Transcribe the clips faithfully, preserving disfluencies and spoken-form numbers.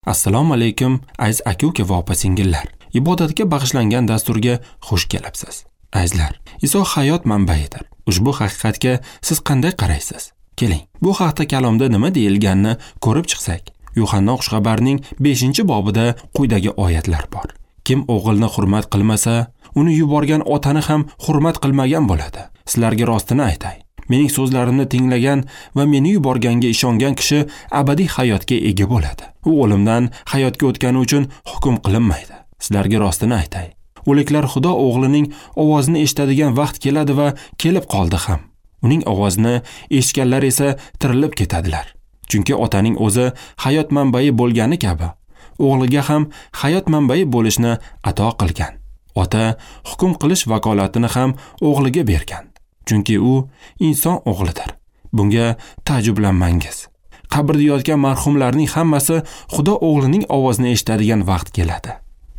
Assalomu alaykum aziz aka-uka va opa-singillar. Ibodatga bag'ishlangan dasturga xush kelibsiz. Azizlar, Iso hayot manbayidir. Ushbu haqiqatga siz qanday qaraysiz? Keling, bu haqda kalomda nima deyilganini ko'rib chiqsak. Yuhanna xushxabarining beshinchi bobida quyidagi oyatlar bor. Kim o'g'ilni hurmat qilmasa, uni yuborgan otani ham hurmat qilmagan bo'ladi. Sizlarga rostini aytay. Mening so'zlarimni tinglagan va meni yuborganga ishongan kishi abadiy hayotga ega bo'ladi. U o'limdan hayotga o'tgani uchun hukm qilinmaydi. Sizlarga rostini aytay. O'liklar Xudo o'g'lining ovozini eshitadigan vaqt keladi va kelib qoldi ham. Uning ovozini eshitganlar esa tirilib ketadilar. Chunki otaning o'zi hayot manbai bo'lgani kabi, o'g'liga ham hayot manbai bo'lishni ato qilgan. Ota hukm qilish vakolatini ham o'g'liga bergan. Chunki u inson o'g'lidir. Bunga taajjublanmangiz. Qabrda yotgan marhumlarning hammasi Xudo o'g'lining ovozini eshitadigan vaqt keladi.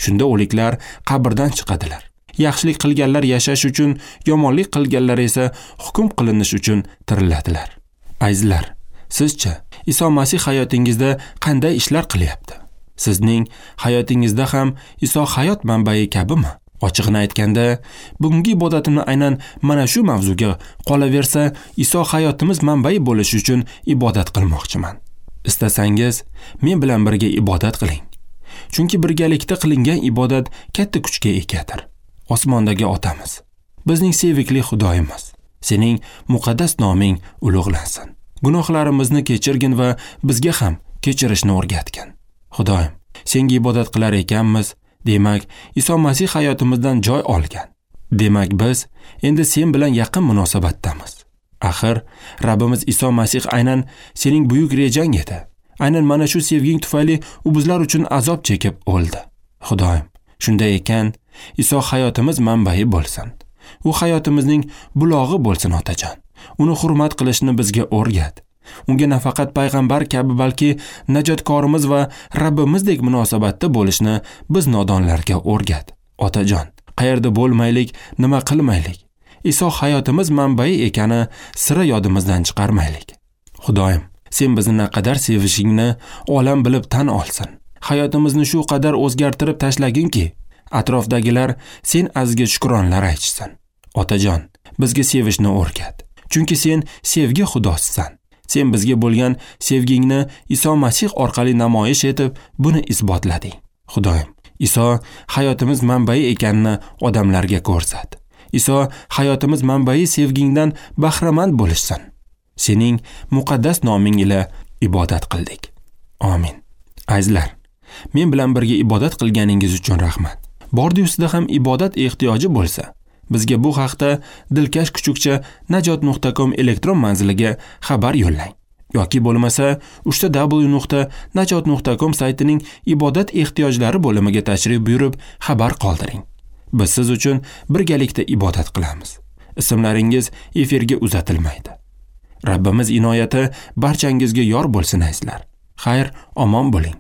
Shunda o'liklar qabrdan chiqadilar. Yaxshilik qilganlar yashash uchun, yomonlik qilganlar esa hukm qilinish uchun tiriladilar. Azizlar, sizcha Iso Masih hayotingizda qanday ishlar qilyapti? Sizning hayotingizda ham Iso hayot manbai kabimi? Ochig'ini aytganda, bugungi ibodatimni aynan mana shu mavzuga qolaversa, Iso hayotimiz manbai bo'lishi uchun ibodat qilmoqchiman. Istasangiz, men bilan birga ibodat qiling. Chunki birgalikda qilingan ibodat katta kuchga egadir. Osmondagi Otamiz, bizning sevikli Xudoyimiz, sening muqaddas noming ulug'lansin. Gunohlarimizni kechirgin va bizga ham kechirishni o'rgatgin. Xudoyim, senga ibodat qilar ekanmiz, demak, Iso Masih hayotimizdan joy olgan. Demak, biz endi sen bilan yaqin munosabatdamiz. Axir, Rabbimiz Iso Masih aynan sening buyuk rejang edi. Aynan mana shu sevging tufayli u bizlar uchun azob chekib o'ldi. Xudoyim, shunday ekan, Iso hayotimiz manbai bo'lsin. U hayotimizning bulog'i bo'lsin, otajon. Uni hurmat qilishni bizga o'rgat. Unga nafaqat payg'ambar kabi, balki najotkorimiz va Rabbimizdek munosabatda bo'lishni biz nodonlarga o'rgat. Otajon, qayerda bo'lmaylik, nima qilmaylik, Iso hayotimiz manbai ekani sira yodimizdan chiqarmaylik. Xudoyim, sen bizni naqadar sevishingni olam bilib tan olsin. Hayotimizni shu qadar o'zgartirib tashlaginki, atrofdagilar sen azizga shukronlar aytishsin. Otajon, bizga sevishni o'rgat. Chunki sen sevgi Xudosisan. Sen bizga bo'lgan sevgingni Iso Masih orqali namoyish etib, buni isbotlading. Xudoyim, Iso hayotimiz manbai ekanini odamlarga ko'rsat. Iso hayotimiz manbai sevgingdan bahramand bo'lishsin. Sening muqaddas noming ila ibodat qildik. Amin. Azizlar, men bilan birga ibodat qilganingiz uchun rahmat. Bordi ustida ham ibodat ehtiyoji bo'lsa, bizga bu haqda dilkash kuchukcha najot nuqta com elektron manziliga xabar yo'llang. Yoki bo'lmasa uchta w nuqta najot nuqta com saytining ibodat ehtiyojlari bo'limiga tashrif buyurib xabar qoldiring. Biz siz uchun birgalikda ibodat qilamiz. Ismlaringiz efirga uzatilmaydi. Rabbimiz inoyati barchangizga yor bo'lsin azizlar. Xayr, omon bo'ling.